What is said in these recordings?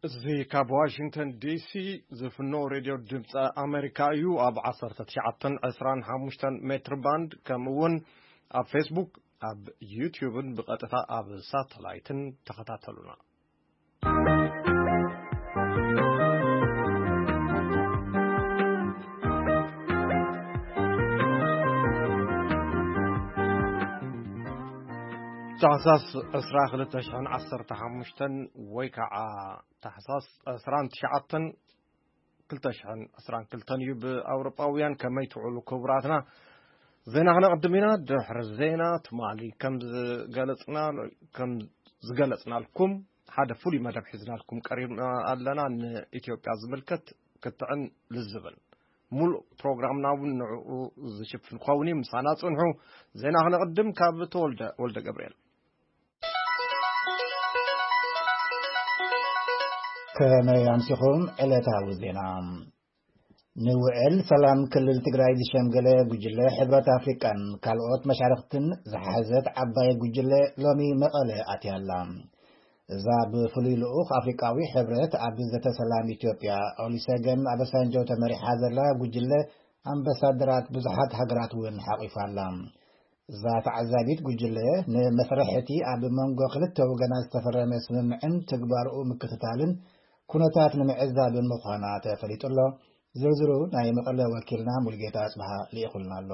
እዚ ካብ ዋሽንግተን ዲሲ ዝፍኖ ሬድዮ ድምፂ ኣሜሪካ እዩ። ኣብ ዓሰርተ ትሽዓተን ዕስራን ሓሙሽተን ሜትር ባንድ፣ ከምኡ እውን ኣብ ፌስቡክ፣ ኣብ ዩትዩብን ብቐጥታ ኣብ ሳተላይትን ተኸታተሉና። ታሕሳስ ዕስራ ክልተ ሽሕን ዓሰርተ ሓሙሽተን ወይ ከዓ ታሕሳስ ዕስራን ትሽዓተን ክልተ ሽሕን ዕስራን ክልተን እዩ ብኣውሮጳውያን። ከመይ ትውዕሉ ክቡራትና? ዜና ክነቕድም ኢና። ድሕሪ ዜና ትማሊ ከም ዝገለጽና-፣ ከም ዝገለጽናልኩም ሓደ ፍሉይ መደብ ሒዝናልኩም ቀሪብና ኣለና። ንኢትዮጵያ ዝምልከት ክትዕን ልዝብን ሙሉእ ፕሮግራምና እውን ንዕኡ ዝሽፍን ክኸውን እዩ። ምሳና ጽንሑ። ዜና ክነቕድም ካብ ተወልደ ወልደ ገብርኤል። ከመይ ኣምሲኹም? ዕለታዊ ዜና። ንውዕል ሰላም ክልል ትግራይ ዝሸምገለ ጉጅለ ሕብረት ኣፍሪቃን ካልኦት መሻርኽትን ዝሓዘት ዓባይ ጉጅለ ሎሚ መቐለ ኣትያ ኣላ። እዛ ብፍሉይ ልኡኽ ኣፍሪቃዊ ሕብረት ኣብ ዘተ ሰላም ኢትዮጵያ ኦሊሰገን ኣበሳንጆ ተመሪሓ ዘላ ጉጅለ ኣምባሳደራት ብዙሓት ሃገራት እውን ሓቒፋ ኣላ። እዛ ተዓዛቢት ጉጅለ ንመስርሕ እቲ ኣብ መንጎ ክልተ ወገናት ዝተፈረመ ስምምዕን ትግባርኡ ምክትታልን ኩነታት ንምዕዛብን ምዃና ተፈሊጡ ኣሎ። ዝርዝሩ ናይ መቐለ ወኪልና ሙልጌታ ኣጽብሃ ልኢኹልና ኣሎ።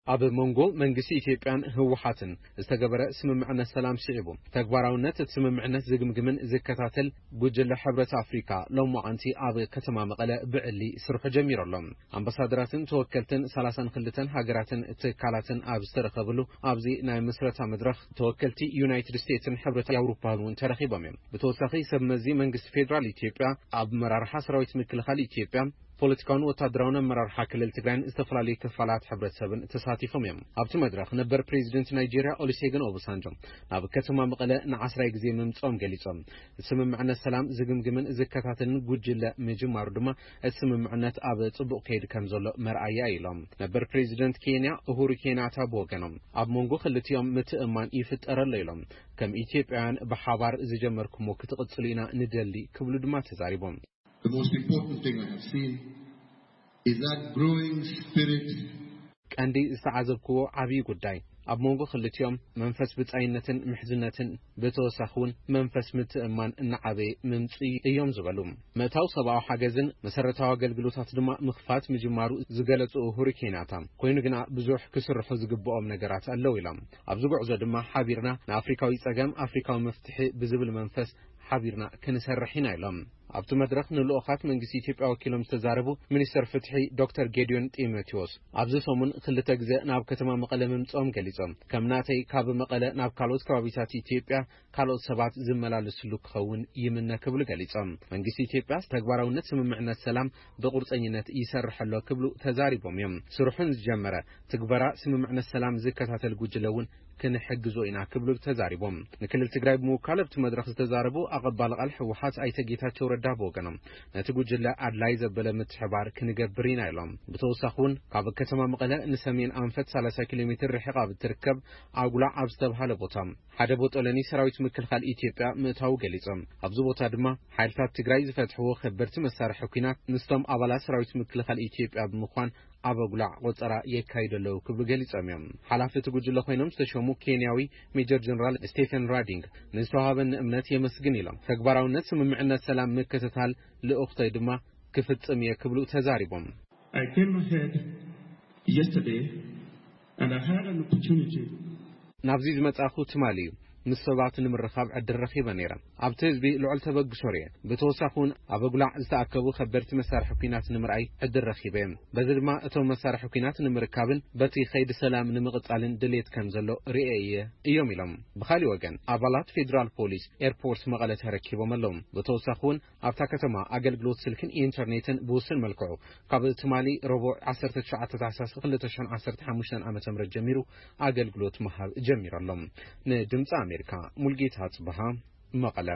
ኣብ መንጎ መንግስቲ ኢትዮጵያን ህወሓትን ዝተገበረ ስምምዕነት ሰላም ስዒቡ፣ ተግባራውነት እቲ ስምምዕነት ዝግምግምን ዝከታተል ጉጅለ ሕብረት ኣፍሪካ ሎማዓንቲ ኣብ ከተማ መቐለ ብዕሊ ስርሑ ጀሚሩ ኣሎ። ኣምባሳደራትን ተወከልትን ሰላሳን ክልተን ሃገራትን ትካላትን ኣብ ዝተረኸብሉ ኣብዚ ናይ ምስረታ መድረኽ፣ ተወከልቲ ዩናይትድ ስቴትስን ሕብረት ኣውሮፓን እውን ተረኺቦም እዮም። ብተወሳኺ፣ ሰብ መዚ መንግስቲ ፌዴራል ኢትዮጵያ፣ ኣብ መራርሓ ሰራዊት ምክልኻል ኢትዮጵያ፣ ፖለቲካውን ወታደራውን ኣመራርሓ ክልል ትግራይን ዝተፈላለዩ ክፋላት ሕብረተሰብን ተሳቲፎም እዮም። ኣብቲ መድረኽ፣ ነበር ፕሬዚደንት ናይጄርያ ኦሉሴጉን ኦባሳንጆ ናብ ከተማ መቐለ ንዓስራይ ግዜ ምምፅኦም ገሊፆም። እቲ ስምምዕነት ሰላም ዝግምግምን ዝከታተልን ጉጅለ ምጅማሩ ድማ፣ እቲ ስምምዕነት ኣብ ፅቡቕ ከይድ ከም ዘሎ መርኣያ እዩ ኢሎም። ነበር ፕሬዚደንት ኬንያ ኡሁሩ ኬንያታ ብወገኖም፣ ኣብ መንጎ ክልቲኦም ምትእምማን ይፍጠር ኣሎ ኢሎም። ከም ኢትዮጵያውያን ብሓባር ዝጀመርኩሞ ክትቕፅሉ ኢና ንደሊ ክብሉ ድማ ተዛሪቦም። The most important thing I have seen is that growing spirit ቀንዲ ዝተዓዘብክዎ ዓብዪ ጉዳይ፣ ኣብ መንጎ ክልቲኦም መንፈስ ብጻይነትን ምሕዝነትን፣ ብተወሳኺ እውን መንፈስ ምትእምማን እናዓበየ ምምፅኡ እዮም ዝበሉ። ምእታው ሰብኣዊ ሓገዝን መሰረታዊ ኣገልግሎታት ድማ ምኽፋት ምጅማሩ ዝገለፁ ኡሁሩ ኬንያታ፣ ኮይኑ ግና ብዙሕ ክስርሑ ዝግብኦም ነገራት ኣለዉ ኢሎም። ኣብዚ ጉዕዞ ድማ ሓቢርና ንኣፍሪካዊ ፀገም ኣፍሪካዊ መፍትሒ ብዝብል መንፈስ ሓቢርና ክንሰርሕ ኢና ኢሎም። ኣብቲ መድረኽ ንልኡኻት መንግስቲ ኢትዮጵያ ወኪሎም ዝተዛረቡ ሚኒስተር ፍትሒ ዶክተር ጌዲዮን ጢሞቴዎስ፣ ኣብዚ ሰሙን ክልተ ግዜ ናብ ከተማ መቐለ ምምፅኦም ገሊጾም። ከም ናተይ ካብ መቐለ ናብ ካልኦት ከባቢታት ኢትዮጵያ ካልኦት ሰባት ዝመላለስሉ ክኸውን ይምነ ክብሉ ገሊጾም። መንግስቲ ኢትዮጵያ ተግባራውነት ስምምዕነት ሰላም ብቁርፀኝነት ይሰርሕ ኣሎ ክብሉ ተዛሪቦም እዮም። ስርሑ ንዝጀመረ ትግበራ ስምምዕነት ሰላም ዝከታተል ጉጅለ እውን ክንሕግዞ ኢና ክብሉ ተዛሪቦም። ንክልል ትግራይ ብምውካል ኣብቲ መድረኽ ዝተዛረቡ ኣቐባሊ ቃል ህወሓት ኣይተ ጌታቸው ረዳ ብወገኖም፣ ነቲ ጉጅለ ኣድላይ ዘበለ ምትሕባር ክንገብር ኢና ኢሎም። ብተወሳኺ እውን ካብ ከተማ መቐለ ንሰሜን ኣንፈት ሰላሳ ኪሎ ሜትር ርሒቓ ኣብ እትርከብ ኣጉላዕ ኣብ ዝተብሃለ ቦታ ሓደ ቦጦለኒ ሰራዊት ምክልኻል ኢትዮጵያ ምእታዉ ገሊጾም። ኣብዚ ቦታ ድማ ሓይልታት ትግራይ ዝፈትሕዎ ከበድቲ መሳርሒ ኲናት ምስቶም ኣባላት ሰራዊት ምክልኻል ኢትዮጵያ ብምዃን ኣብ ኣጉላዕ ቆጸራ የካይዱ ኣለዉ ክብሉ ገሊጾም እዮም። ሓላፊ እቲ ጉጅለ ኮይኖም ዝተሸሙ ኬንያዊ ሜጀር ጀነራል ስቴፈን ራዲንግ ንዝተዋሃበኒ እምነት የመስግን ኢሎም። ተግባራውነት ስምምዕነት ሰላም ምክትታል ልኡኽተይ ድማ ክፍጽም እየ ክብሉ ተዛሪቦም። I came ahead yesterday and I had an opportunity ናብዚ ዝመጻኹ ትማሊ እዩ። ምስ ሰባት ንምርኻብ ዕድል ረኺበ ነይረ። ኣብቲ ህዝቢ ልዑል ተበግሶ ርእየ። ብተወሳኺ እውን ኣብ ኣጉላዕ ዝተኣከቡ ከበድቲ መሳርሒ ኲናት ንምርኣይ ዕድል ረኺበ እየ። በዚ ድማ እቶም መሳርሒ ኲናት ንምርካብን በቲ ከይዲ ሰላም ንምቕጻልን ድሌት ከም ዘሎ ርእየ እየ እዮም ኢሎም። ብኻሊእ ወገን ኣባላት ፌዴራል ፖሊስ ኤርፖርት መቐለ ተረኪቦም ኣለዉ። ብተወሳኺ እውን ኣብታ ከተማ ኣገልግሎት ስልክን ኢንተርኔትን ብውሱን መልክዑ ካብ ትማሊ ረቡዕ ዓሰርተ ትሽዓተ ታሕሳስ ክልተ ሽሕን ዓሰርተ ሓሙሽተን ዓመተ ምህረት ጀሚሩ ኣገልግሎት ምሃብ ጀሚሩ ኣሎ። ንድምፂ ኣሜሪካ ሙልጌታ ጽብሃ መቐለ።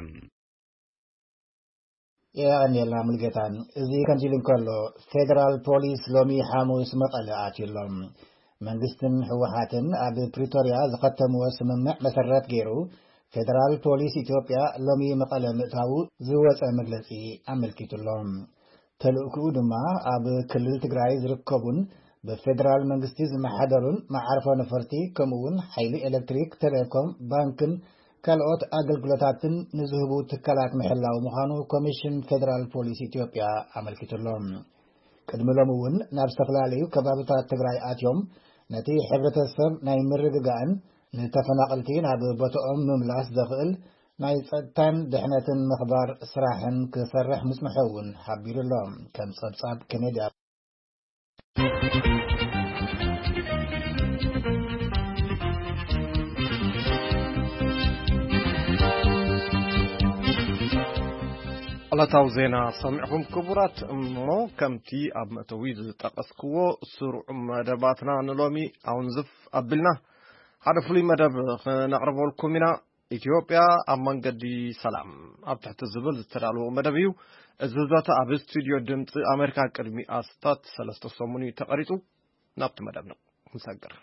የቐንየልና ሙልጌታ። እዚ ከምዚ ኢሉ እንከሎ፣ ፌደራል ፖሊስ ሎሚ ሓሙስ መቐለ ኣትዩ ኣሎ። መንግስትን ህወሓትን ኣብ ፕሪቶርያ ዝኸተምዎ ስምምዕ መሰረት ገይሩ ፌደራል ፖሊስ ኢትዮጵያ ሎሚ መቐለ ምእታዉ ዝወጸ መግለጺ ኣመልኪቱ ኣሎ። ተልእኮኡ ድማ ኣብ ክልል ትግራይ ዝርከቡን ብፌደራል መንግስቲ ዝመሓደሩን መዓርፎ ነፈርቲ፣ ከምኡ እውን ሓይሊ ኤሌክትሪክ፣ ቴሌኮም፣ ባንክን ካልኦት ኣገልግሎታትን ንዝህቡ ትካላት ምሕላው ምዃኑ ኮሚሽን ፌደራል ፖሊስ ኢትዮጵያ ኣመልኪቱ ኣሎ። ቅድሚ ሎሚ እውን ናብ ዝተፈላለዩ ከባብታት ትግራይ ኣትዮም ነቲ ሕብረተሰብ ናይ ምርግጋእን ንተፈናቐልቲ ናብ ቦታኦም ምምላስ ዘኽእል ናይ ጸጥታን ድሕነትን ምኽባር ስራሕን ክሰርሕ ምጽንሑ እውን ሓቢሩ ኣሎ። ከም ጸብጻብ ኬኔዲ ዕለታዊ ዜና ሰሚዕኹም ክቡራት። እሞ ከምቲ ኣብ መእተዊ ዝጠቐስክዎ፣ ስሩዕ መደባትና ንሎሚ ኣውንዝፍ ኣቢልና ሓደ ፍሉይ መደብ ክነቕርበልኩም ኢና። ኢትዮጵያ ኣብ መንገዲ ሰላም ኣብ ትሕቲ ዝብል ዝተዳለወ መደብ እዩ። እዚ ዘተ ኣብ ስቱድዮ ድምፂ ኣሜሪካ ቅድሚ ኣስታት ሰለስተ ሰሙን እዩ ተቐሪፁ። ናብቲ መደብና ክንሰግር።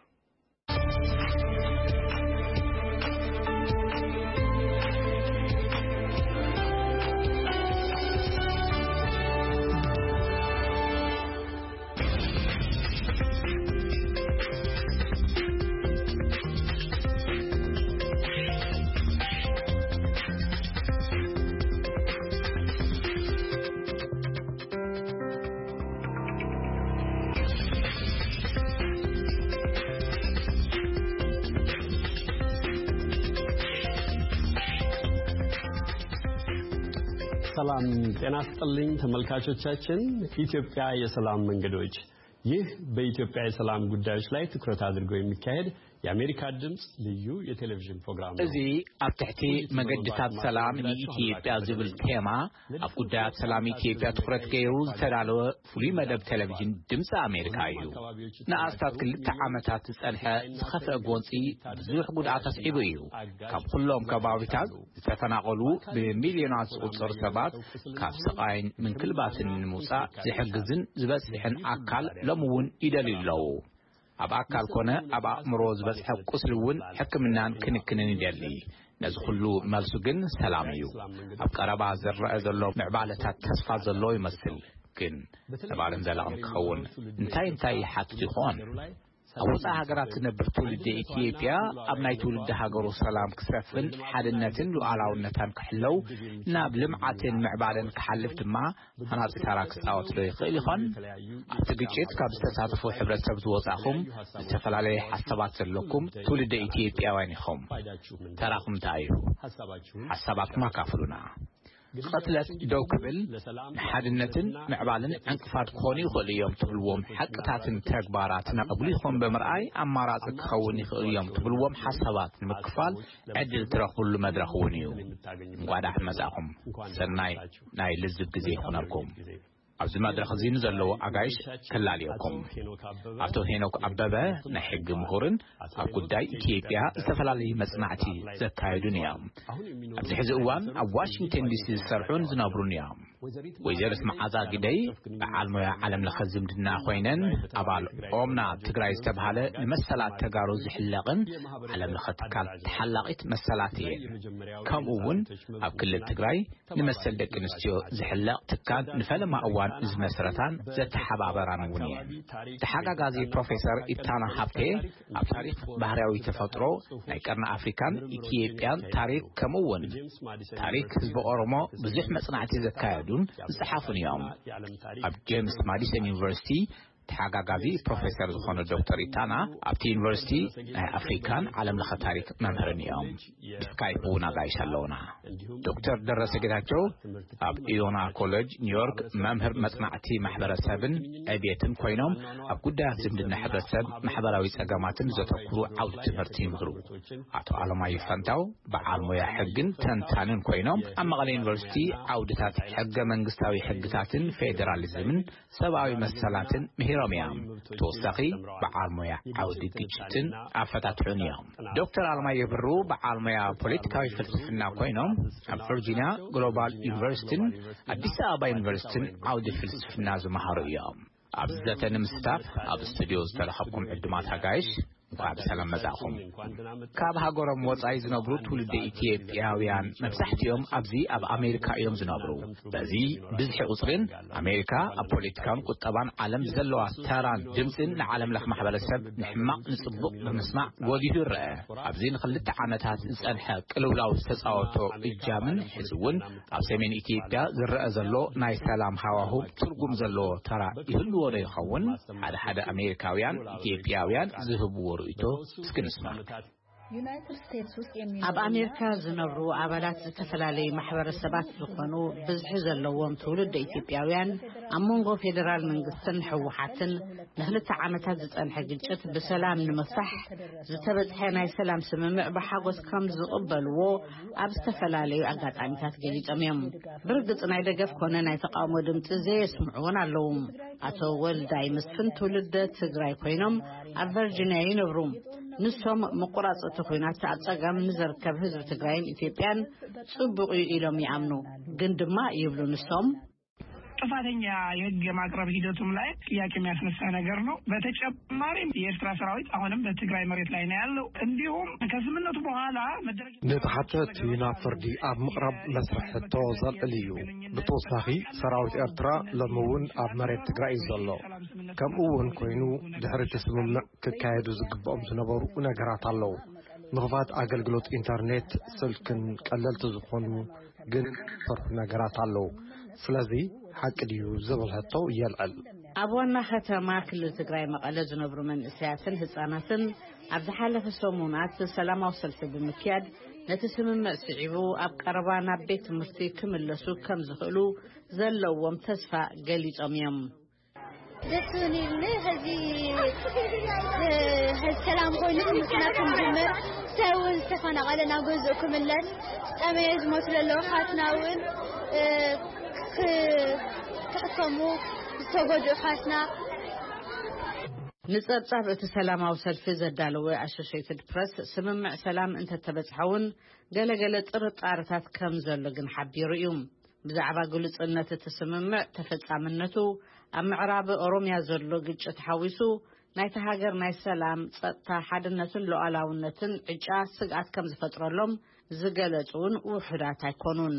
ሰላም ጤና ስጥልኝ ተመልካቾቻችን። ኢትዮጵያ የሰላም መንገዶች፣ ይህ በኢትዮጵያ የሰላም ጉዳዮች ላይ ትኩረት አድርጎ የሚካሄድ የአሜሪካ ድምፅ ልዩ የቴሌቪዥን ፕሮግራም ነው። እዚ ኣብ ትሕቲ መገድታት ሰላም ንኢትዮጵያ ዝብል ቴማ ኣብ ጉዳያት ሰላም ኢትዮጵያ ትኹረት ገይሩ ዝተዳለወ ፍሉይ መደብ ቴሌቪዥን ድምፂ ኣሜሪካ እዩ። ንኣስታት ክልተ ዓመታት ዝጸንሐ ዝኸፍአ ጎንፂ ብዙሕ ጉድኣት ኣስዒቡ እዩ። ካብ ኩሎም ከባቢታት ዝተፈናቐሉ ብሚልዮናት ዝቑጸሩ ሰባት ካብ ስቓይን ምንክልባትን ንምውጻእ ዝሕግዝን ዝበጽሕን ኣካል ሎሚ እውን ይደልዩ ኣለዉ። ኣብ ኣካል ኮነ ኣብ ኣእምሮ ዝበጽሐ ቁስሊ እውን ሕክምናን ክንክንን ይደሊ። ነዚ ኩሉ መልሱ ግን ሰላም እዩ። ኣብ ቀረባ ዝረአ ዘሎ ምዕባለታት ተስፋ ዘለዎ ይመስል፣ ግን ነባርን ዘላቕን ክኸውን እንታይ እንታይ ይሓትት ይኾን? ኣብ ወጻኢ ሃገራት ዝነብር ትውልዲ ኢትዮጵያ ኣብ ናይ ትውልዲ ሃገሩ ሰላም ክሰፍን ሓድነትን ሉዓላውነታን ክሕለው ናብ ልምዓትን ምዕባለን ክሓልፍ ድማ ሃናጺ ተራ ክጻወት ዶ ይኽእል ይኾን? ኣብቲ ግጭት ካብ ዝተሳተፉ ሕብረተሰብ ዝወጻኹም ዝተፈላለየ ሓሳባት ዘለኩም ትውልደ ኢትዮጵያውያን ኢኹም። ተራኹም እንታይ እዩ? ሓሳባትኩም ኣካፍሉና። ቅትለት ደው ክብል ንሓድነትን ምዕባልን ዕንቅፋት ክኾኑ ይኽእሉ እዮም ትብልዎም ሓቅታትን ተግባራትን ኣጉሊኹም ብምርኣይ ኣማራጺ ክኸውን ይኽእሉ እዮም ትብልዎም ሓሳባት ንምክፋል ዕድል ትረኽብሉ መድረኽ እውን እዩ። እንኳዕ ደሓን መጻእኹም። ሰናይ ናይ ልዝብ ግዜ ይኹነልኩም። ኣብዚ መድረኽ እዚ ንዘለዉ ኣጋይሽ ከላልየኩም። ኣቶ ሄኖክ ኣበበ ናይ ሕጊ ምሁርን ኣብ ጉዳይ ኢትዮጵያ ዝተፈላለዩ መጽናዕቲ ዘካየዱን እዮም። ኣብዚ ሕዚ እዋን ኣብ ዋሽንግተን ዲሲ ዝሰርሑን ዝነብሩን እዮም። ወይዘሪት መዓዛ ግደይ በዓል ሞያ ዓለም ለኸ ዝምድና ኮይነን ኣባል ኦምና ትግራይ ዝተባሃለ ንመሰላት ተጋሩ ዝሕለቕን ዓለም ለኸ ትካል ተሓላቒት መሰላት እየን። ከምኡ እውን ኣብ ክልል ትግራይ ንመሰል ደቂ ኣንስትዮ ዝሕለቕ ትካል ንፈለማ እዋን ዝመስረታን ዘተሓባበራን እውን እየን። ተሓጋጋዚ ፕሮፌሰር ኢታና ሃብቴ ኣብ ታሪኽ ባህርያዊ ተፈጥሮ ናይ ቀርኒ ኣፍሪካን ኢትዮጵያን ታሪኽ ከምኡ እውን ታሪኽ ህዝቢ ኦሮሞ ብዙሕ መጽናዕቲ ዘካየዱን ዝጸሓፉን እዮም። ኣብ ጄምስ ማዲሰን ዩኒቨርሲቲ ተሓጋጋዚ ፕሮፌሰር ዝኾነ ዶክተር ኢታና ኣብቲ ዩኒቨርሲቲ ናይ ኣፍሪካን ዓለም ለኸ ታሪክ መምህርን እዮም። ብስካይፕ እውን ኣጋይሽ ኣለውና። ዶክተር ደረሰ ጌታቸው ኣብ ኢዮና ኮሌጅ ኒውዮርክ መምህር መጽናዕቲ ማሕበረሰብን ዕብየትን ኮይኖም ኣብ ጉዳያት ዝምድና ሕብረተሰብ ማሕበራዊ ጸገማትን ዘተኩሩ ዓውዲ ትምህርቲ ይምህሩ። ኣቶ ኣለማየሁ ፈንታው በዓል ሞያ ሕግን ተንታንን ኮይኖም ኣብ መቐለ ዩኒቨርሲቲ ዓውድታት ሕገ መንግስታዊ ሕግታትን ፌዴራሊዝምን ሰብኣዊ መሰላትን ምሂሮም እዮም። ተወሳኺ በዓል ሞያ ዓውዲ ግጭትን ኣፈታትሑን እዮም። ዶክተር ኣለማየሁ ብሩ በዓል ሞያ ፖለቲካዊ ፍልስፍና ኮይኖም ኣብ ቨርጂኒያ ግሎባል ዩኒቨርሲቲን ኣዲስ ኣበባ ዩኒቨርሲቲን ዓውዲ ፍልስፍና ዝመሃሩ እዮም። ኣብዚ ዘተ ንምስታፍ ኣብ ስቱዲዮ ዝተረኸብኩም ዕዱማት ኣጋይሽ እንኳዕ ብሰላም መጻእኹም። ካብ ሃገሮም ወጻኢ ዝነብሩ ትውልዲ ኢትዮጵያውያን መብዛሕትኦም ኣብዚ ኣብ ኣሜሪካ እዮም ዝነብሩ። በዚ ብዝሒ ቁጽሪን ኣሜሪካ ኣብ ፖለቲካን ቁጠባን ዓለም ዘለዋ ተራን ድምፅን ንዓለም ለኽ ማሕበረሰብ ንሕማቕ ንጽቡቕ ብምስማዕ ጎሊሁ ይረአ። ኣብዚ ንክልተ ዓመታት ዝጸንሐ ቅልውላው ዝተጻወቶ እጃምን ሕዚ እውን ኣብ ሰሜን ኢትዮጵያ ዝረአ ዘሎ ናይ ሰላም ሃዋሁ ትርጉም ዘለዎ ተራ ይህልዎ ዶ ይኸውን? ሓደ ሓደ ኣሜሪካውያን ኢትዮጵያውያን ዝህብዎ ርእይቶ እስኪ ንስማዕ። ኣብ ኣሜሪካ ዝነብሩ ኣባላት ዝተፈላለዩ ማሕበረሰባት ዝኾኑ ብዝሒ ዘለዎም ትውልድ ኢትዮጵያውያን ኣብ መንጎ ፌዴራል መንግስትን ህወሓትን ንክልተ ዓመታት ዝጸንሐ ግጭት ብሰላም ንምፍታሕ ዝተበጽሐ ናይ ሰላም ስምምዕ ብሓጎስ ከም ዝቕበልዎ ኣብ ዝተፈላለዩ ኣጋጣሚታት ገሊጾም እዮም። ብርግጽ ናይ ደገፍ ኮነ ናይ ተቃውሞ ድምፂ ዘየስምዑ እውን ኣለዉ። ኣቶ ወልዳይ መስፍን ትውልደ ትግራይ ኮይኖም ኣብ ቨርጂኒያ ይነብሩ። ንሶም ምቁራጽ እቲ ኲናት ኣብ ጸገም ንዘርከብ ህዝቢ ትግራይን ኢትዮጵያን ጽቡቕ እዩ ኢሎም ይኣምኑ። ግን ድማ ይብሉ ንሶም ጥፋተኛ የህግ የማቅረብ ሂደቱም ላይ ጥያቄ የሚያስነሳ ነገር ነው። በተጨማሪም የኤርትራ ሰራዊት አሁንም በትግራይ መሬት ላይ ነው ያለው። እንዲሁም ከስምምነቱ በኋላ መደረግ ንተሓተቲ ናብ ፍርዲ ኣብ ምቕራብ መስርሕ ሕቶ ዘልዕል እዩ። ብተወሳኺ ሰራዊት ኤርትራ ሎሚ እውን ኣብ መሬት ትግራይ እዩ ዘሎ። ከምኡ እውን ኮይኑ ድሕሪ እቲ ስምምዕ ክካየዱ ዝግብኦም ዝነበሩ ነገራት ኣለዉ። ምኽፋት ኣገልግሎት ኢንተርኔት፣ ስልክን ቀለልቲ ዝኾኑ ግን ፈርሑ ነገራት ኣለዉ። ስለዚ ሓቂ ድዩ ዝብል ሕቶ የልዕል። ኣብ ዋና ከተማ ክልል ትግራይ መቐለ ዝነብሩ መንእሰያትን ህፃናትን ኣብ ዝሓለፈ ሰሙናት ሰላማዊ ሰልፊ ብምክያድ ነቲ ስምምዕ ስዒቡ ኣብ ቀረባ ናብ ቤት ትምህርቲ ክምለሱ ከም ዝኽእሉ ዘለዎም ተስፋ ገሊጾም እዮም። ደስ እውን ኢሉኒ። ሕዚ ሕዚ ሰላም ኮይኑ ትምህርትና ክንጅምር፣ ሰብ እውን ዝተፈናቐለ ናብ ገዝኡ ክምለስ፣ ዝጠመየ ዝሞቱ ዘለዉ ሓትና እውን ክሕከሙ ዝተጎድኡ ሓትና ንጸብጻብ እቲ ሰላማዊ ሰልፊ ዘዳለወ ኣሶሽየትድ ፕረስ ስምምዕ ሰላም እንተተበጽሐ እውን ገለገለ ጥርጣርታት ከም ዘሎ ግን ሓቢሩ እዩ። ብዛዕባ ግሉጽነት እቲ ስምምዕ ተፈጻምነቱ ኣብ ምዕራብ ኦሮምያ ዘሎ ግጭት ሓዊሱ ናይቲ ሃገር ናይ ሰላም ጸጥታ ሓድነትን ሉዓላውነትን ዕጫ ስግኣት ከም ዝፈጥረሎም ዝገለጹ እውን ውሑዳት ኣይኮኑን።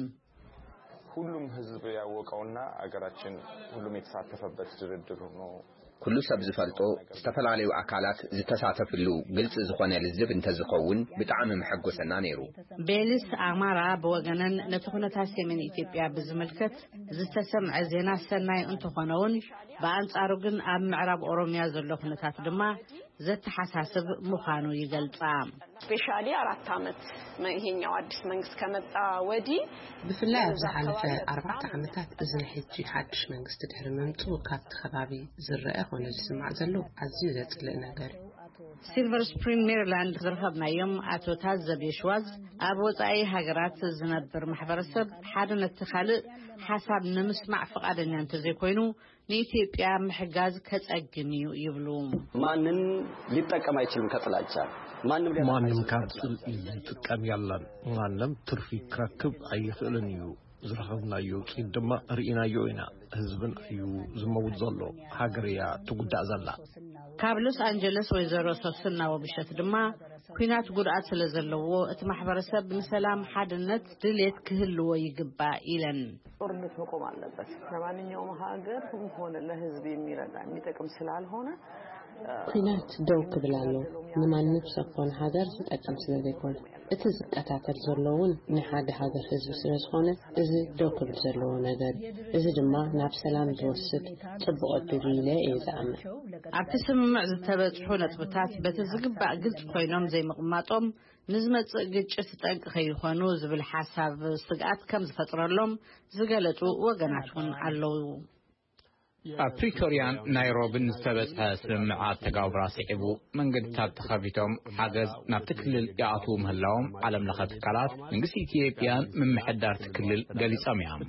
ሁሉም ህዝብ ያወቀውና አገራችን ሁሉም የተሳተፈበት ድርድር ነው። ኩሉ ሰብ ዝፈልጦ ዝተፈላለዩ ኣካላት ዝተሳተፍሉ ግልጽ ዝኾነ ልዝብ እንተዝኸውን ብጣዕሚ መሐጎሰና ነይሩ። ቤሊስ ኣማራ ብወገነን ነቲ ኩነታት ሰሜን ኢትዮጵያ ብዝምልከት ዝተሰምዐ ዜና ሰናይ እንተኾነውን ብኣንጻሩ ግን ኣብ ምዕራብ ኦሮምያ ዘሎ ኩነታት ድማ ዘተሓሳስብ ምዃኑ ይገልጻ። ስፔሻሊ አራት ዓመት ይሄኛው አዲስ መንግስት ከመጣ ወዲህ ብፍላይ ኣብ ዝሓለፈ ኣርባዕተ ዓመታት እዚ ናይ ሕጂ ሓድሽ መንግስቲ ድሕሪ ምምፅኡ ካብቲ ከባቢ ዝረአ ኮነ ዝስማዕ ዘሎ ኣዝዩ ዘፅልእ ነገር እዩ። ሲልቨር ስፕሪንግ ሜሪላንድ ዝረኸብናዮም ኣቶ ታዘብ የሽዋዝ ኣብ ወፃኢ ሃገራት ዝነብር ማሕበረሰብ ሓደ ነቲ ካልእ ሓሳብ ንምስማዕ ፍቓደኛ እንተዘይኮይኑ ንኢትዮጵያ ምሕጋዝ ከጸግም እዩ ይብሉ። ማንም ሊጠቀም ኣይችልም ከጥላቻ ማንም ሊያጠፋ ማንም አይችልም ካብ ከጥላቻ። ጽልኢ ዝጥቀም ያለን ማንም ትርፊ ክረክብ ኣይኽእልን እዩ። ዝረኸብናዮ ውፅኢት ድማ ርኢናዮ ኢና። ህዝብን እዩ ዝመውት ዘሎ። ሃገር እያ ትጉዳእ ዘላ። ካብ ሎስ ኣንጀለስ ወይዘሮ ሶስና ወብሸት ድማ ኲናት ጉድኣት ስለ ዘለዎ እቲ ማሕበረሰብ ንሰላም ሓድነት ድሌት ክህልዎ ይግባእ ኢለን። ጦርነት መቆም አለበት። ለማንኛውም ሀገር ሆነ ለህዝብ የሚረዳ የሚጠቅም ስላልሆነ ኲናት ደው ክብል ኣሎ። ንማንም ሰብ ኮነ ሃገር ዝጠቅም ስለ ዘይኮነ እቲ ዝከታተል ዘሎ እውን ናይ ሓደ ሃገር ህዝቢ ስለ ዝኾነ እዚ ደው ክብል ዘለዎ ነገር እዩ። እዚ ድማ ናብ ሰላም ዝወስድ ጽቡቕ ዕድል እዩ ኢለ እየ ዝኣምን። ኣብቲ ስምምዕ ዝተበጽሑ ነጥብታት በቲ ዝግባእ ግልጽ ኮይኖም ዘይምቕማጦም ንዝመጽእ ግጭት ጠንቂ ከይኾኑ ዝብል ሓሳብ ስግኣት ከም ዝፈጥረሎም ዝገለጹ ወገናት እውን ኣለዉ። ኣብ ፕሪቶርያን ናይሮብን ዝተበጽሐ ስምምዓት ተጋብራ ስዒቡ መንገድታት ተኸፊቶም ሓገዝ ናብቲ ክልል ይኣትዉ ምህላዎም ዓለም ለኸ ትካላት መንግስቲ ኢትዮጵያን ምምሕዳርቲ ክልል ገሊጾም እዮም።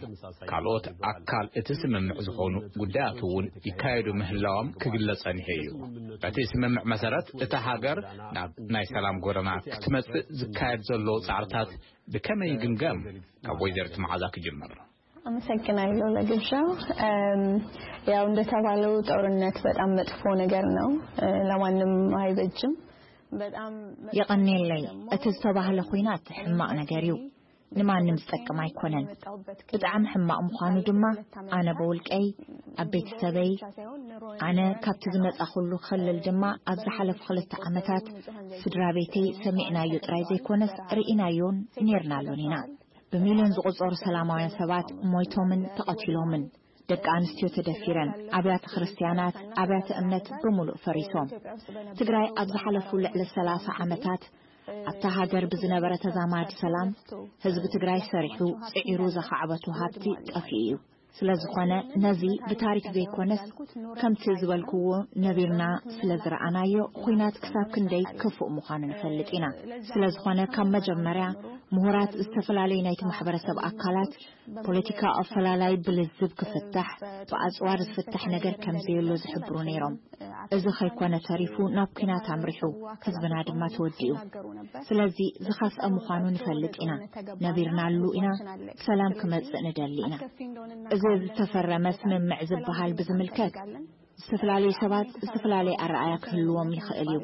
ካልኦት ኣካል እቲ ስምምዕ ዝኾኑ ጉዳያት እውን ይካየዱ ምህላዎም ክግለጽ ጸኒሑ እዩ። በቲ ስምምዕ መሰረት እታ ሃገር ናብ ናይ ሰላም ጎደና ክትመጽእ ዝካየድ ዘሎ ጻዕርታት ብከመይ ይግምገም? ካብ ወይዘሪት መዓዛ ክጅምር። አመሰግናለሁ ለግብዣው። ያው እንደተባለው ጦርነት በጣም መጥፎ ነገር ነው፣ ለማንም አይበጅም። የቐንየለይ። እቲ ዝተባህለ ኹናት ሕማቕ ነገር እዩ። ንማንም ዝጠቅም ኣይኮነን። ብጣዕሚ ሕማቕ ምዃኑ ድማ ኣነ ብውልቀይ፣ ኣብ ቤተሰበይ፣ ኣነ ካብቲ ዝመጻኹሉ ክልል ድማ ኣብ ዝሓለፉ ክልተ ዓመታት ስድራ ቤተይ ሰሚዕናዮ ጥራይ ዘይኮነስ ርኢናዮን ኔርናሉን ኢና። ብሚልዮን ዝቑጸሩ ሰላማውያን ሰባት ሞይቶምን ተቐቲሎምን፣ ደቂ ኣንስትዮ ተደፊረን፣ ኣብያተ ክርስትያናት፣ ኣብያተ እምነት ብምሉእ ፈሪሶም። ትግራይ ኣብ ዝሓለፉ ልዕሊ ሰላሳ ዓመታት ኣብታ ሃገር ብዝነበረ ተዛማዲ ሰላም፣ ህዝቢ ትግራይ ሰሪሑ ጽዒሩ ዘኻዕበቱ ሃብቲ ጠፊኡ እዩ። ስለ ዝኾነ ነዚ ብታሪክ ዘይኮነስ ከምቲ ዝበልክዎ ነቢርና ስለ ዝረኣናዮ ኹናት ክሳብ ክንደይ ክፉእ ምዃኑ ንፈልጥ ኢና። ስለ ዝኾነ ካብ መጀመርያ ምሁራት ዝተፈላለዩ ናይቲ ማሕበረሰብ ኣካላት ፖለቲካ ኣፈላላይ ብልዝብ ክፍታሕ፣ ብኣጽዋር ዝፍታሕ ነገር ከም ዘየሎ ዝሕብሩ ነይሮም። እዚ ከይኮነ ተሪፉ ናብ ኲናት ኣምሪሑ ህዝብና ድማ ተወዲኡ። ስለዚ ዝኸፍአ ምዃኑ ንፈልጥ ኢና። ነቢርናሉ ኢና። ሰላም ክመጽእ ንደሊ ኢና። እዚ ዝተፈረመ ስምምዕ ዝበሃል ብዝምልከት ዝተፈላለዩ ሰባት ዝተፈላለየ ኣረኣያ ክህልዎም ይኽእል እዩ።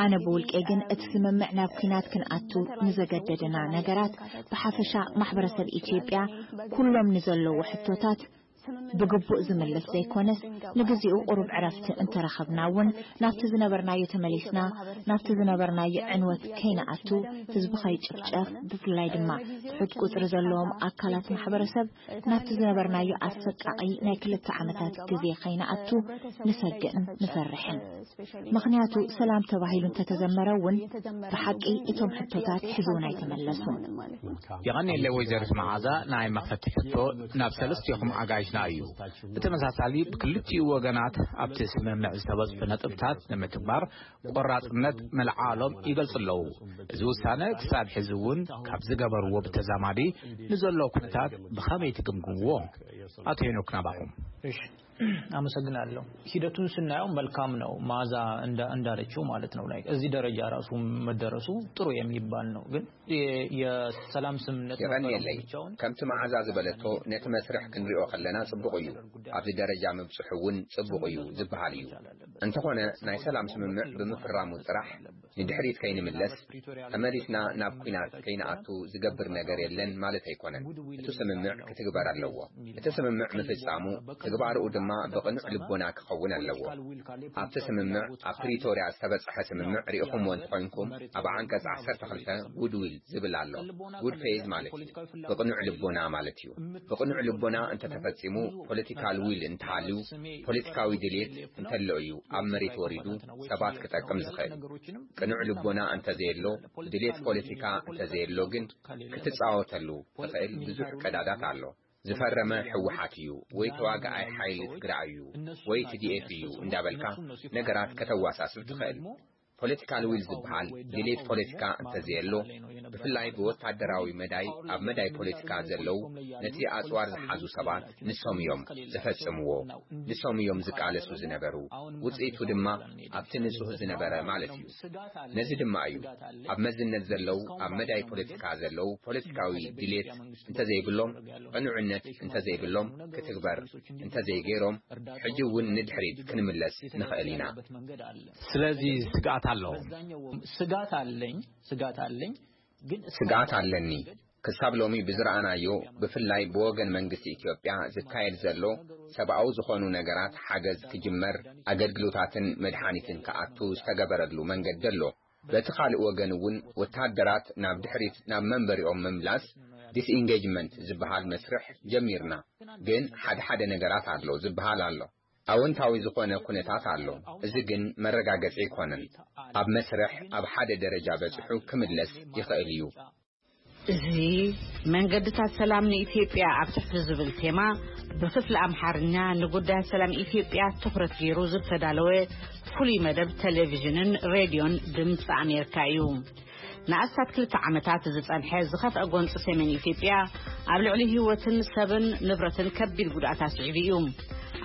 ኣነ ብውልቄ ግን እቲ ስምምዕ ናብ ኲናት ክንኣቱ ንዘገደደና ነገራት ብሓፈሻ ማሕበረሰብ ኢትዮጵያ ኩሎም ንዘለዎ ሕቶታት ብግቡእ ዝምልስ ዘይኮነስ ንግዚኡ ቁሩብ ዕረፍቲ እንተረኸብና እውን ናብቲ ዝነበርናዮ ተመሊስና ናብቲ ዝነበርናዮ ዕንወት ከይንኣቱ ህዝቢ ከይጭፍጨፍ ብፍላይ ድማ ትሑት ቁፅሪ ዘለዎም ኣካላት ማሕበረሰብ ናብቲ ዝነበርናዮ ኣሰቃቒ ናይ ክልተ ዓመታት ግዜ ከይንኣቱ ንሰግእን ንፈርሕን። ምኽንያቱ ሰላም ተባሂሉ እንተተዘመረ እውን ብሓቂ እቶም ሕቶታት ሕዝውን ኣይተመለሱን። የቐንየለይ ወይዘሪት መዓዛ። ናይ መኽፈቲ ሕቶ ናብ ሰለስቲኹም ኣጋይሽና እዩ። ብተመሳሳሊ ብክልቲኡ ወገናት ኣብቲ ስምምዕ ዝተበፅሑ ነጥብታት ንምትግባር ቆራፅነት ምልዓሎም ይገልፁ ኣለዉ። እዚ ውሳነ ክሳብ ሕዚ እውን ካብ ዝገበርዎ ብተዛማዲ ንዘሎ ኩነታት ብኸመይ ትግምግምዎ? ኣቶ ሄኖክ ናባኹም። አመሰግናለሁ። ሂደቱን ስናየው መልካም ነው። ማዛ እንዳለችው ማለት ነው። ላይ እዚህ ደረጃ ራሱ መደረሱ ጥሩ የሚባል ነው። ግን የሰላም ስምምነት የቐንየለይ። ከምቲ መዓዛ ዝበለቶ ነቲ መስርሕ ክንሪኦ ከለና ጽቡቕ እዩ። ኣብዚ ደረጃ ምብጽሑ እውን ጽቡቕ እዩ ዝበሃል እዩ። እንተኾነ ናይ ሰላም ስምምዕ ብምፍራሙ ጥራሕ ንድሕሪት ከይንምለስ ተመሊስና ናብ ኲናት ከይንኣቱ ዝገብር ነገር የለን ማለት ኣይኮነን። እቲ ስምምዕ ክትግበር ኣለዎ። እቲ ስምምዕ ምፍጻሙ ትግባርኡ ድማ ብቕኑዕ ልቦና ክኸውን ኣለዎ። ኣብቲ ስምምዕ ኣብ ፕሪቶርያ ዝተበጽሐ ስምምዕ ርኢኹምዎ እንተኾይንኩም ኣብ ዓንቀጽ ዓሰርተ ክልተ ጉድዊል ዝብል ኣሎ። ጉድ ፌዝ ማለት እዩ። ብቕኑዕ ልቦና ማለት እዩ። ብቕኑዕ ልቦና እንተተፈጺሙ ፖለቲካል ዊል እንተሃልዩ ፖለቲካዊ ድልየት እንተሎ እዩ ኣብ መሬት ወሪዱ ሰባት ክጠቅም ዝኽእል። ቅኑዕ ልቦና እንተዘየሎ ድሌት ፖለቲካ እንተዘየሎ ግን ክትጻወተሉ ትኽእል ብዙሕ ቀዳዳት ኣሎ። ዝፈረመ ህወሓት እዩ ወይ ተዋጋኣይ ሓይሊ ትግራይ እዩ ወይ ቲ ዲ ኤፍ እዩ እንዳበልካ ነገራት ከተዋሳስብ ትኽእል። ፖለቲካል ዊል ዝበሃል ድሌት ፖለቲካ እንተዘየሎ ብፍላይ ብወታደራዊ መዳይ ኣብ መዳይ ፖለቲካ ዘለዉ ነቲ ኣፅዋር ዝሓዙ ሰባት ንሶም እዮም ዘፈፅምዎ። ንሶም እዮም ዝቃለሱ ዝነበሩ። ውፅኢቱ ድማ ኣብቲ ንፁህ ዝነበረ ማለት እዩ። ነዚ ድማ እዩ ኣብ መዝነት ዘለዉ ኣብ መዳይ ፖለቲካ ዘለዉ ፖለቲካዊ ድሌት እንተዘይብሎም ቅኑዕነት እንተዘይብሎም ክትግበር እንተዘይገይሮም ሕጂ እውን ንድሕሪት ክንምለስ ንኽእል ኢና። ስለዚ ስግኣት ኣለዎም። ስጋት አለኝ ስጋት አለኝ። ስግኣት ኣለኒ። ክሳብ ሎሚ ብዝረኣናዮ ብፍላይ ብወገን መንግስቲ ኢትዮጵያ ዝካየድ ዘሎ ሰብኣዊ ዝኾኑ ነገራት ሓገዝ ክጅመር ኣገልግሎታትን መድሓኒትን ክኣቱ ዝተገበረሉ መንገዲ ኣሎ። በቲ ካልእ ወገን እውን ወታደራት ናብ ድሕሪት ናብ መንበሪኦም ምምላስ ዲስኢንጌጅመንት ዝበሃል መስርሕ ጀሚርና። ግን ሓደ ሓደ ነገራት ኣሎ ዝበሃል ኣሎ። ኣወንታዊ ዝኾነ ኩነታት ኣሎ። እዚ ግን መረጋገጺ ኣይኮነን። ኣብ መስርሕ ኣብ ሓደ ደረጃ በጺሑ ክምለስ ይኽእል እዩ። እዚ መንገድታት ሰላም ንኢትዮጵያ ኣብ ትሕቲ ዝብል ቴማ ብክፍሊ ኣምሓርኛ ንጉዳያት ሰላም ኢትዮጵያ ትኹረት ገይሩ ዝተዳለወ ፍሉይ መደብ ቴሌቪዥንን ሬድዮን ድምፂ ኣሜሪካ እዩ። ንኣስታት ክልተ ዓመታት ዝጸንሐ ዝኸፍአ ጎንፂ ሰሜን ኢትዮጵያ ኣብ ልዕሊ ህይወትን ሰብን ንብረትን ከቢድ ጉድኣት ኣስዒቡ እዩ።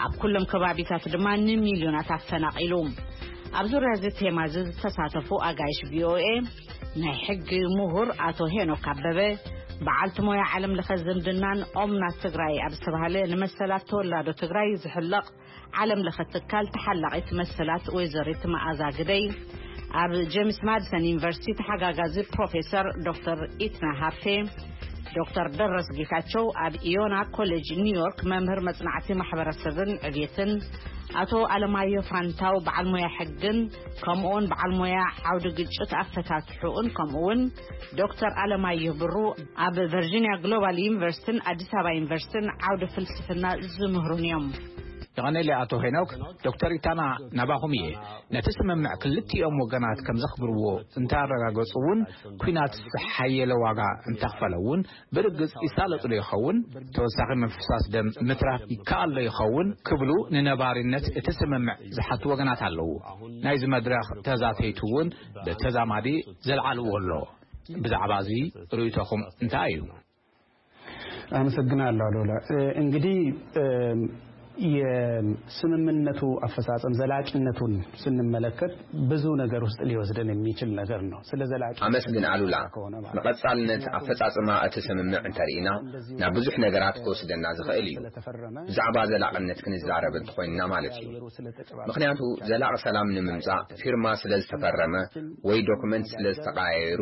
ኣብ ኩሎም ከባቢታት ድማ ንሚልዮናት ኣፈናቒሉ። ኣብ ዙርያ እዚ ቴማ እዚ ዝተሳተፉ ኣጋይሽ ቪኦኤ ናይ ሕጊ ምሁር ኣቶ ሄኖክ ኣበበ፣ በዓልቲ ሞያ ዓለም ለኸ ዝምድናን ኦምናት ትግራይ ኣብ ዝተባህለ ንመሰላት ተወላዶ ትግራይ ዝሕለቕ ዓለም ለኸ ትካል ተሓላቒት መሰላት ወይዘሪት መኣዛ ግደይ፣ ኣብ ጀምስ ማድሰን ዩኒቨርሲቲ ተሓጋጋዚ ፕሮፌሰር ዶክተር ኢትና ሃብቴ፣ ዶክተር ደረስ ጌታቸው ኣብ ኢዮና ኮሌጅ ኒውዮርክ መምህር መጽናዕቲ ማሕበረሰብን ዕብየትን፣ ኣቶ ኣለማዮ ፋንታው በዓል ሞያ ሕግን ከምኡውን በዓል ሞያ ዓውዲ ግጭት ኣፈታት ሕኡን ከምኡውን ዶክተር ኣለማዮ ብሩ ኣብ ቨርጂኒያ ግሎባል ዩኒቨርሲቲን ኣዲስ ኣበባ ዩኒቨርሲቲን ዓውዲ ፍልስፍና ዝምህሩን እዮም። ይቐነለ ኣቶ ሄኖክ። ዶክተር ኢታና፣ ናባኹም እየ። ነቲ ስምምዕ ክልቲኦም ወገናት ከም ዘኽብርዎ እንተኣረጋገጹ እውን፣ ኲናት ዝሓየለ ዋጋ እንተኽፈለ እውን ብርግጽ ይሳለጡ ዶ ይኸውን? ተወሳኺ ምፍሳስ ደም ምትራፍ ይከኣል ዶ ይኸውን ክብሉ ንነባሪነት እቲ ስምምዕ ዝሓቱ ወገናት ኣለዉ። ናይዚ መድረኽ ተዛተይቲ እውን ብተዛማዲ ዘልዓልዎ ኣሎ። ብዛዕባ እዚ ርእይቶኹም እንታይ እዩ? አመሰግናለሁ አሉላ። እንግዲህ የስምምነቱ አፈጻጸም ዘላቂነቱን ስንመለከት ብዙ ነገር ውስጥ ሊወስደን የሚችል ነገር ነው። ስለ ዘላቂ ኣመስግን ኣሉላ። ንቐጻልነት ኣፈጻጽማ እቲ ስምምዕ እንተርኢና ናብ ብዙሕ ነገራት ክወስደና ዝኽእል እዩ። ብዛዕባ ዘላቕነት ክንዛረብ እንተኾይንና ማለት እዩ። ምኽንያቱ ዘላቕ ሰላም ንምምጻእ ፊርማ ስለ ዝተፈረመ ወይ ዶክመንት ስለ ዝተቐያየሩ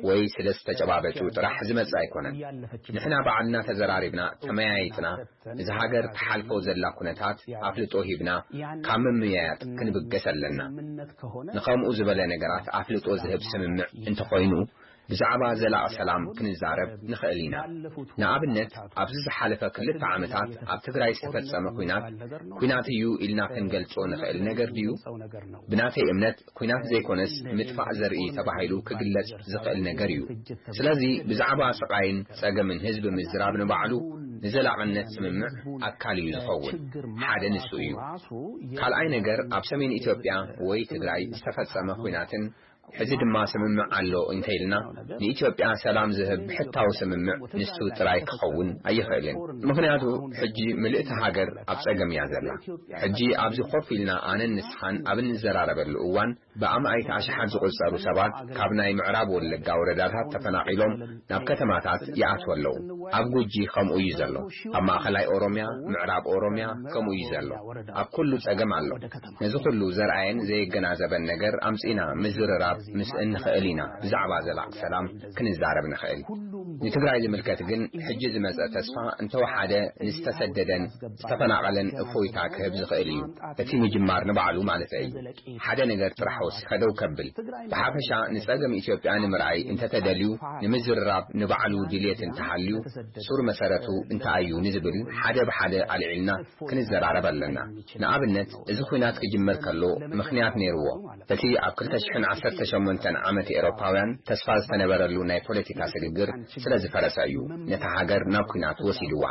ወይ ስለ ዝተጨባበጡ ጥራሕ ዝመጽእ ኣይኮነን። ንሕና ባዕልና ተዘራሪብና ተመያይጥና እዚ ሃገር ትሓልፎ ዘላ ኩነታት ኣፍልጦ ሂብና ካብ ምምያያጥ ክንብገስ ኣለና። ንኸምኡ ዝበለ ነገራት ኣፍልጦ ዝህብ ስምምዕ እንተኾይኑ ብዛዕባ ዘላቕ ሰላም ክንዛረብ ንኽእል ኢና። ንኣብነት ኣብዚ ዝሓለፈ ክልተ ዓመታት ኣብ ትግራይ ዝተፈጸመ ኲናት ኲናት እዩ ኢልና ክንገልጾ ንኽእል ነገር ድዩ? ብናተይ እምነት ኲናት ዘይኮነስ ምጥፋእ ዘርኢ ተባሂሉ ክግለጽ ዝኽእል ነገር እዩ። ስለዚ ብዛዕባ ስቓይን ጸገምን ህዝቢ ምዝራብ ንባዕሉ ንዘላቕነት ስምምዕ ኣካል እዩ ዝኸውን። ሓደ ንሱ እዩ። ካልኣይ ነገር ኣብ ሰሜን ኢትዮጵያ ወይ ትግራይ ዝተፈጸመ ኲናትን ሕዚ ድማ ስምምዕ ኣሎ እንተኢልና ንኢትዮጵያ ሰላም ዝህብ ብሕታዊ ስምምዕ ንሱ ጥራይ ክኸውን ኣይኽእልን። ምኽንያቱ ሕጂ ምልእቲ ሃገር ኣብ ጸገም እያ ዘላ። ሕጂ ኣብዚ ኮፍ ኢልና ኣነን ንስኻን ኣብ እንዘራረበሉ እዋን ብኣማኢት ኣሽሓት ዝቑጸሩ ሰባት ካብ ናይ ምዕራብ ወለጋ ወረዳታት ተፈናቒሎም ናብ ከተማታት ይኣትዉ ኣለዉ። ኣብ ጉጂ ከምኡ እዩ ዘሎ። ኣብ ማእኸላይ ኦሮምያ፣ ምዕራብ ኦሮምያ ከምኡ እዩ ዘሎ። ኣብ ኩሉ ጸገም ኣሎ። ነዚ ኩሉ ዘርኣየን ዘየገናዘበን ነገር ኣምጺእና ምዝርራብ ምስ እንኽእል ኢና ብዛዕባ ዘላቕ ሰላም ክንዛረብ ንኽእል። ንትግራይ ዝምልከት ግን ሕጂ ዝመጸ ተስፋ እንተወሓደ ንዝተሰደደን ዝተፈናቐለን እፎይታ ክህብ ዝኽእል እዩ። እቲ ምጅማር ንባዕሉ ማለተይ እዩ። ሓደ ነገር ጥራሕ ወሲኸ ደው ከብል። ብሓፈሻ ንጸገም ኢትዮጵያ ንምርኣይ እንተተደልዩ ንምዝርራብ ንባዕሉ ድልየት እንተሃልዩ ሱር መሰረቱ እንታይ እዩ ንዝብል ሓደ ብሓደ ኣልዒልና ክንዘራረብ ኣለና። ንኣብነት እዚ ኲናት ክጅመር ከሎ ምኽንያት ነይርዎ። እቲ ኣብ ክልተ ሽሕን ዓሰርተ ሸሞንተን ዓመት ኤሮፓውያን ተስፋ ዝተነበረሉ ናይ ፖለቲካ ስግግር ስለ ዝፈረሰ እዩ ነታ ሃገር ናብ ኲናት ወሲድዋ።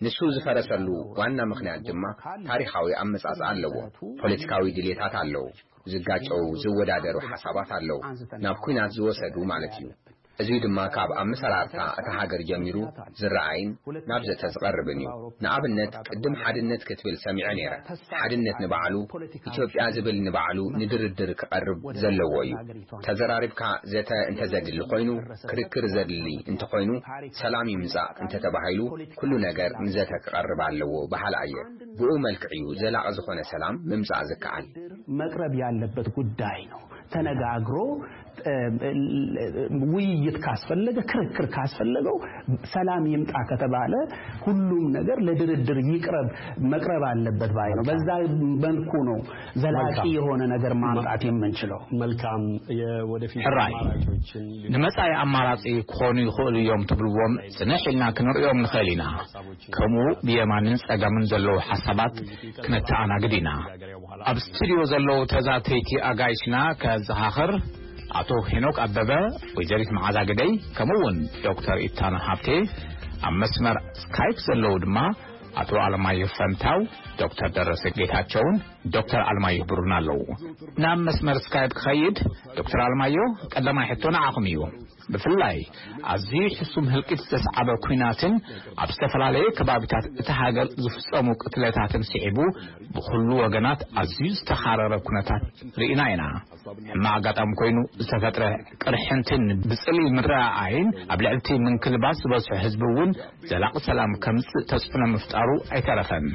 ንሱ ዝፈረሰሉ ዋና ምኽንያት ድማ ታሪኻዊ ኣመጻጽኣ ኣለዎ። ፖለቲካዊ ድልየታት ኣለዉ። ዝጋጨው ዝወዳደሩ ሓሳባት ኣለዉ። ናብ ኲናት ዝወሰዱ ማለት እዩ። እዚ ድማ ካብ ኣመሰራርታ እታ ሃገር ጀሚሩ ዝረኣይን ናብ ዘተ ዝቐርብን እዩ። ንኣብነት ቅድም ሓድነት ክትብል ሰሚዐ ነይረ። ሓድነት ንባዕሉ ኢትዮጵያ ዝብል ንባዕሉ ንድርድር ክቐርብ ዘለዎ እዩ። ተዘራሪብካ ዘተ እንተዘድሊ ኮይኑ ክርክር ዘድሊ እንተኾይኑ ሰላም ይምጻእ እንተተባሂሉ ኩሉ ነገር ንዘተ ክቐርብ ኣለዎ በሃላ እየ። ብኡ መልክዕ እዩ ዘላቒ ዝኾነ ሰላም ምምጻእ ዝከኣል። መቅረብ ያለበት ጉዳይ ነው። ተነጋግሮ ውይይት ካስፈለገ ክርክር ካስፈለገው ሰላም ይምጣ ከተባለ ሁሉም ነገር ለድርድር ይቅረብ መቅረብ አለበት ባይ ነው። በዛ መልኩ ነው ዘላቂ የሆነ ነገር ማምጣት የምንችለው። መልካም የወደፊት ሕራይ አማራጮችን ንመጻኢ ኣማራጺ ክኾኑ ይኽእሉ እዮም ትብልዎም ጽንሕ ኢልና ክንርእዮም ንኽእል ኢና። ከምኡ ብየማንን ጸጋምን ዘለዉ ሓሳባት ክነተኣናግድ ኢና። ኣብ ስቱድዮ ዘለዉ ተዛተይቲ ኣጋይሽና ከዘኻኽር ኣቶ ሄኖክ ኣበበ፣ ወይዘሪት መዓዛ ግደይ ከምኡ እውን ዶክተር ኢታና ሃብቴ፣ ኣብ መስመር ስካይፕ ዘለዉ ድማ ኣቶ ኣለማየሁ ፈንታው፣ ዶክተር ደረሰ ጌታቸውን ዶክተር ኣለማየሁ ብሩን ኣለዉ። ናብ መስመር ስካይፕ ክኸይድ ዶክተር ኣለማየሁ ቀዳማይ ሕቶ ንዓኹም እዩ። ብፍላይ ኣዝዩ ሕሱም ህልቂት ዘስዓበ ኲናትን ኣብ ዝተፈላለየ ከባቢታት እቲ ሃገር ዝፍጸሙ ቅትለታትን ስዒቡ ብኹሉ ወገናት ኣዝዩ ዝተኻረረ ኩነታት ርኢና ኢና። ሕማቕ ኣጋጣሚ ኮይኑ ዝተፈጥረ ቅርሕንትን ብጽልኢ ምረኣኣይን ኣብ ልዕልቲ ምንክልባት ዝበዝሑ ህዝቢ እውን ዘላቒ ሰላም ከምጽእ ተጽዕኖ ምፍጣሩ ኣይተረፈን።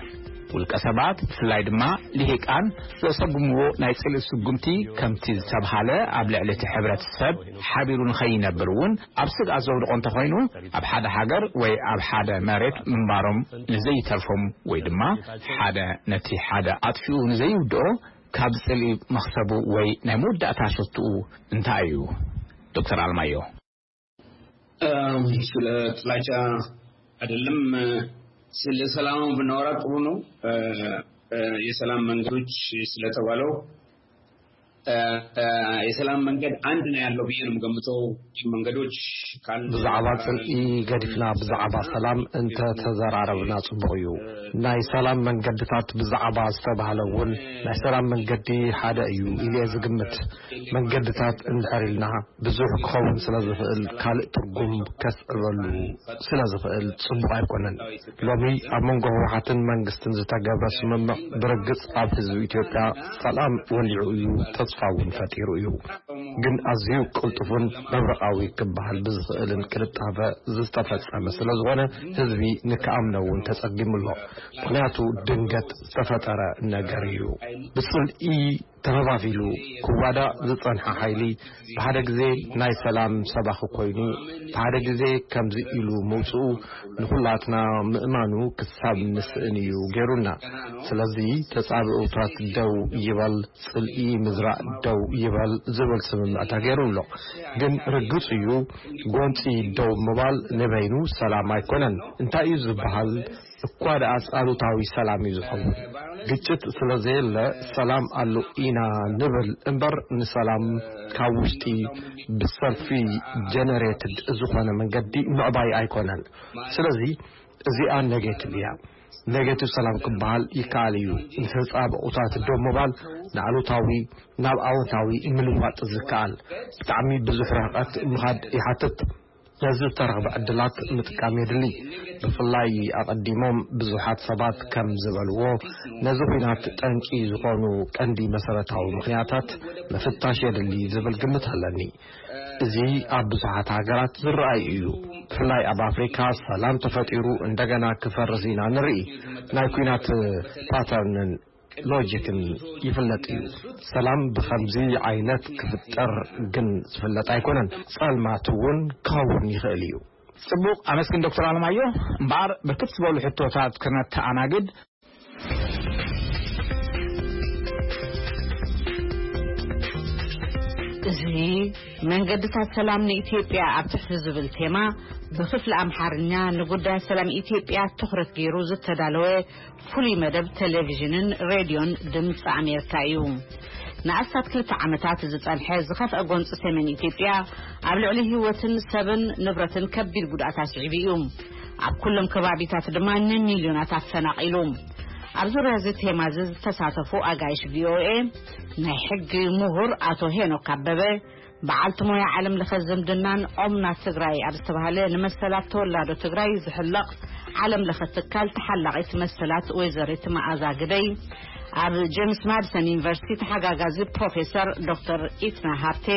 ውልቀ ሰባት፣ ብፍላይ ድማ ልሂቃን፣ ዘሰጉምዎ ናይ ጽልኢ ስጉምቲ፣ ከምቲ ዝተብሃለ፣ ኣብ ልዕሊ እቲ ሕብረተሰብ ሓቢሩ ንኸይነብር እውን ኣብ ስግኣት ዘውድቖ እንተኾይኑ፣ ኣብ ሓደ ሃገር ወይ ኣብ ሓደ መሬት ምንባሮም ንዘይተርፎም ወይ ድማ ሓደ ነቲ ሓደ ኣጥፊኡ ንዘይውድኦ፣ ካብ ጽልኢ መኽሰቡ ወይ ናይ መወዳእታ ሸትኡ እንታይ እዩ? ዶክተር ኣለማዮ። ስለ ጥላቻ አይደለም፣ ስለ ሰላም ብናወራ ጥሩ ነው። የሰላም መንገዶች ስለተባለው የሰላም መንገድ አንድ ነው ያለው ብዬ ነው የምገምተው። መንገዶች ካሉ ብዛዕባ ጽልኢ ገዲፍና ብዛዕባ ሰላም እንተተዘራረብና ጽቡቕ እዩ። ናይ ሰላም መንገድታት ብዛዕባ ዝተባህለ እውን ናይ ሰላም መንገዲ ሓደ እዩ ኢለ ዝግምት። መንገድታት እንድሕር ኢልና ብዙሕ ክኸውን ስለ ዝኽእል ካልእ ትርጉም ከስዕበሉ ስለ ዝኽእል ጽቡቕ ኣይኮነን። ሎሚ ኣብ መንጎ ህወሓትን መንግስትን ዝተገብረ ስምምዕ ብርግጽ ኣብ ህዝቢ ኢትዮጵያ ሰላም ወሊዑ እዩ፣ ተስፋ እውን ፈጢሩ እዩ። ግን ኣዝዩ ቅልጡፍን መብረቓዊ ክበሃል ብዝኽእልን ቅልጣፈ ዝተፈጸመ ስለ ዝኾነ ህዝቢ ንክኣምኖ እውን ተጸጊሙ ኣሎ። ምኽንያቱ ድንገት ዝተፈጠረ ነገር እዩ። ብጽልኢ ተኸፋፊሉ ክዋዳእ ዝጸንሐ ሓይሊ ብሓደ ግዜ ናይ ሰላም ሰባኺ ኮይኑ ብሓደ ግዜ ከምዚ ኢሉ ምውጽኡ ንኹላትና ምእማኑ ክሳብ ንስእን እዩ ገይሩና። ስለዚ ተጻብኦታት ደው ይበል፣ ጽልኢ ምዝራእ ደው ይበል ዝብል ስምምዕ ተገይሩ ኣሎ። ግን ርግጽ እዩ ጎንጺ ደው ምባል ንበይኑ ሰላም ኣይኮነን። እንታይ እዩ ዝበሃል እኳ ደኣስ ኣሉታዊ ሰላም እዩ ዝኸውን። ግጭት ስለ ዘየለ ሰላም ኣሎ ኢና ንብል እምበር ንሰላም ካብ ውሽጢ ብሰልፊ ጀነሬትድ ዝኾነ መንገዲ ምዕባይ ኣይኮነን። ስለዚ እዚኣ ኔጌቲቭ እያ። ኔጌቲቭ ሰላም ክበሃል ይከኣል እዩ። ንተጻብኦታት ደው ምባል ንኣሉታዊ ናብ ኣወንታዊ ምልዋጥ ዝከኣል ብጣዕሚ ብዙሕ ርሕቀት ምኻድ ይሓትት። ነዚ ዝተረኽበ ዕድላት ምጥቃም የድሊ። ብፍላይ ኣቐዲሞም ብዙሓት ሰባት ከም ዝበልዎ ነዚ ኲናት ጠንቂ ዝኾኑ ቀንዲ መሰረታዊ ምኽንያታት ምፍታሽ የድሊ ዝብል ግምት ኣለኒ። እዚ ኣብ ብዙሓት ሃገራት ዝረኣይ እዩ። ብፍላይ ኣብ ኣፍሪካ ሰላም ተፈጢሩ እንደገና ክፈርስ ኢና ንርኢ። ናይ ኲናት ፓተርንን ሎጂክን ይፍለጥ እዩ። ሰላም ብኸምዚ ዓይነት ክፍጠር ግን ዝፍለጥ ኣይኮነን። ጸልማት እውን ክኸውን ይኽእል እዩ። ጽቡቕ፣ ኣመስግን ዶክተር ኣለማዮ። እምበኣር ብርክት ዝበሉ ሕቶታት ክነተኣናግድ። እዚ መንገድታት ሰላም ንኢትዮጵያ ኣብ ትሕቲ ዝብል ቴማ ብክፍሊ ኣምሓርኛ ንጉዳይ ሰላም ኢትዮጵያ ትኹረት ገይሩ ዝተዳለወ ፍሉይ መደብ ቴሌቪዥንን ሬድዮን ድምፂ ኣሜሪካ እዩ። ንኣስታት ክልተ ዓመታት ዝጸንሐ ዝኸፍአ ጎንፂ ሰሜን ኢትዮጵያ ኣብ ልዕሊ ህይወትን ሰብን ንብረትን ከቢድ ጉድኣት ኣስዒቡ እዩ። ኣብ ኩሎም ከባቢታት ድማ ንሚልዮናት ኣፈናቒሉ። ኣብ ዙርያ እዚ ቴማ እዚ ዝተሳተፉ ኣጋይሽ ቪኦኤ ናይ ሕጊ ምሁር ኣቶ ሄኖክ ኣበበ፣ በዓልቲ ሞያ ዓለም ለኸ ዝምድናን ኦምና ትግራይ ኣብ ዝተባህለ ንመሰላት ተወላዶ ትግራይ ዝሕለቕ ዓለም ለኸ ትካል ተሓላቒት መሰላት ወይዘሪት መኣዛ ግደይ፣ ኣብ ጄምስ ማድሰን ዩኒቨርሲቲ ተሓጋጋዚ ፕሮፌሰር ዶክተር ኢትና ሃብቴ፣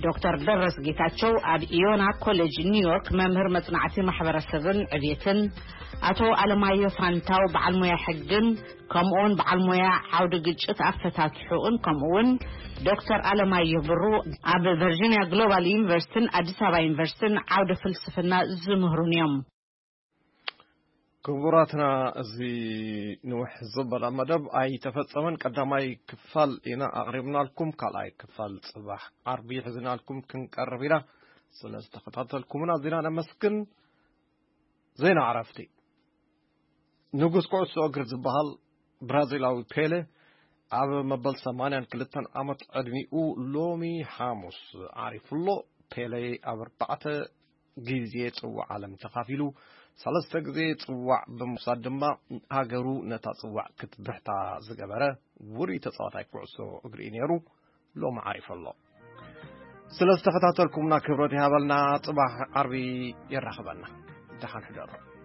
ዶክተር ደረስ ጌታቸው ኣብ ኢዮና ኮሌጅ ኒውዮርክ መምህር መጽናዕቲ ማሕበረሰብን ዕብየትን፣ ኣቶ ኣለማዮ ፋንታው በዓል ሞያ ሕግን ከምኡውን በዓል ሞያ ዓውዲ ግጭት ኣፈታት ሕቁን ከምኡውን ዶክተር ኣለማየሁ ብሩ ኣብ ቨርጂኒያ ግሎባል ዩኒቨርሲቲን ኣዲስ ኣበባ ዩኒቨርሲቲን ዓውዲ ፍልስፍና ዝምህሩን እዮም። ክቡራትና፣ እዚ ንውሕ ዝበላ መደብ ኣይተፈጸመን። ቀዳማይ ክፋል ኢና ኣቕሪብናልኩም፣ ካልኣይ ክፋል ጽባሕ ዓርቢ ሒዝናልኩም ክንቀርብ ኢና። ስለ ዝተኸታተልኩምና ኣዚና ነመስግን። ዜና ዕረፍቲ። ንጉስ ኩዕሶ እግሪ ዝበሃል ብራዚላዊ ፔለ ኣብ መበል ሰማንያን ክልተን ዓመት ዕድሚኡ ሎሚ ሓሙስ ዓሪፉ ኣሎ። ፔለ ኣብ ኣርባዕተ ግዜ ጽዋዕ ዓለም ተኻፊሉ፣ ሰለስተ ግዜ ጽዋዕ ብምውሳድ ድማ ሃገሩ ነታ ጽዋዕ ክትብሕታ ዝገበረ ውሩይ ተጻዋታይ ኩዕሶ እግሪ እዩ ነይሩ። ሎሚ ዓሪፉ ኣሎ። ስለ ዝተኸታተልኩምና ክብረት ይሃበልና። ጽባሕ ዓርቢ የራኽበና። ደሓን ሕደሩ።